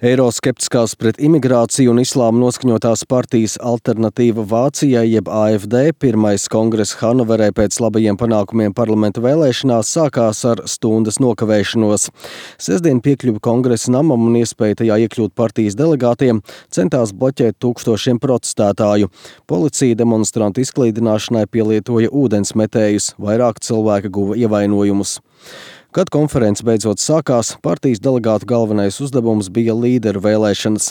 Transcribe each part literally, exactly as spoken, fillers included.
Eiroskeptiskās pret imigrāciju un islāmu noskaņotās partijas Alternatīva Vācijai jeb A F D pirmais kongress Hannoverē pēc labajiem panākumiem parlamenta vēlēšanās sākās ar stundas nokavēšanos. Sestdien piekļuvi kongresa namam un iespēja tajā iekļūt partijas delegātiem centās bloķēt tūkstošiem protestētāju. Policija demonstrantu izklīdināšanai pielietoja ūdensmetējus, vairāk cilvēki guva ievainojumus. Kad konference beidzot sākās, partijas delegātu galvenais uzdevums bija līderu vēlēšanas.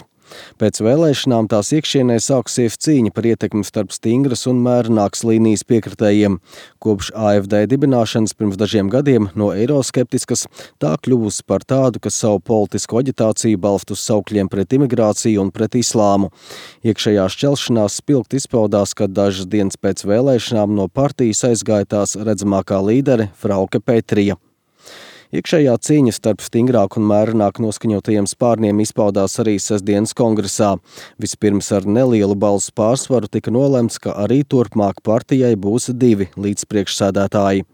Pēc vēlēšanām tās iekšienē sākusies cīņa par ietekmi starp stingras un mērenākas līnijas piekritējiem. Kopš A F D dibināšanas pirms dažiem gadiem no eiroskeptiskas tā kļuvusi par tādu, kas savu politisko aģitāciju balst uz saukļiem pret imigrāciju un pret islāmu. Iekšējā šķelšanās spilgt izpaudās, kad dažas dienas pēc vēlēšanām no partijas aizgāja tās redzamākā līdere Frauke Petrija. Iekšējā cīņa starp stingrāk un mērenāk noskaņotajiem spārniem izpaudās arī sestdienas kongresā. Vispirms ar nelielu balsu pārsvaru tika nolemts, ka arī turpmāk partijai būs divi līdzpriekšsēdētāji.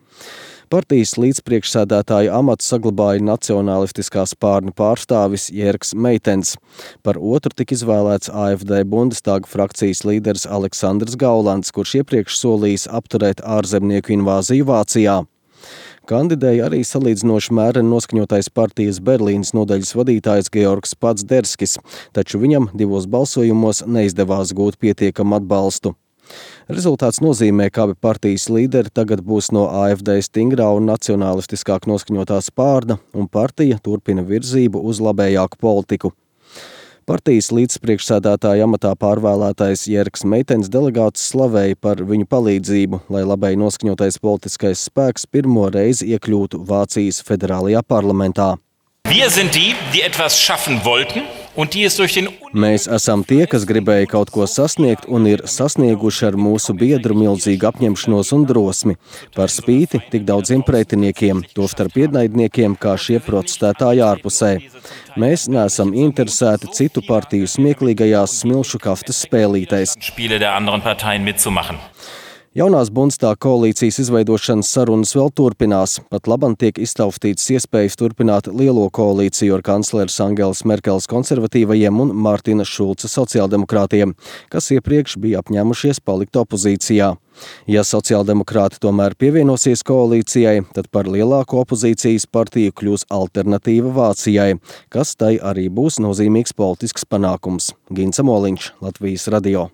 Partijas līdzpriekšsēdētāja amatu saglabāja nacionalistiskā spārna pārstāvis Jērgs Meitens. Par otru tika izvēlēts A F D Bundestāga frakcijas līderis Aleksandrs Gaulands, kurš iepriekš solījis apturēt ārzemnieku invāziju Vācijā. Kandidēja arī salīdzinoši mēreni noskaņotais partijas Berlīnas nodaļas vadītājs Georgs Padzderskis, taču viņam divos balsojumos neizdevās gūt pietiekamu atbalstu. Rezultāts nozīmē, ka abi partijas līderi tagad būs no A F D stingrā un nacionalistiskāk noskaņotā spārna, un partija turpina virzību uz labējāku politiku. Partijas līdzpriekšsēdētāja amatā pārvēlētais Jērgs Meitens delegātus slavēja par viņu palīdzību, lai labai noskaņotais politiskais spēks pirmo reizi iekļūtu Vācijas federālajā parlamentā. Wir sind die, die etwas schaffen wollten und die es durch den Mēs esam tie, kas gribēja kaut ko sasniegt un ir sasnieguši ar mūsu biedru milzīgu apņemšanos un drosmi, par spīti tik daudziem pretiniekiem, tostarp ienaidniekiem kā šie protestētāji ārpusē. Mēs neesam interesēti citu partiju smieklīgajās smilšu kaftas spēlītēs. Spiele der anderen Parteien mitzumachen. Jaunās Bundestāga koalīcijas izveidošanas sarunas vēl turpinās. Pat labam tiek iztaustītas iespējas turpināt lielo koalīciju ar kancleres Angelas Merkeles konservatīvajiem un Mārtina Šulca sociāldemokrātiem, kas iepriekš bija apņēmušies palikt opozīcijā. Ja sociāldemokrāti tomēr pievienosies koalīcijai, tad par lielāko opozīcijas partiju kļūs Alternatīva Vācijai, kas tai arī būs nozīmīgs politisks panākums. Gints Moliņš, Latvijas radio.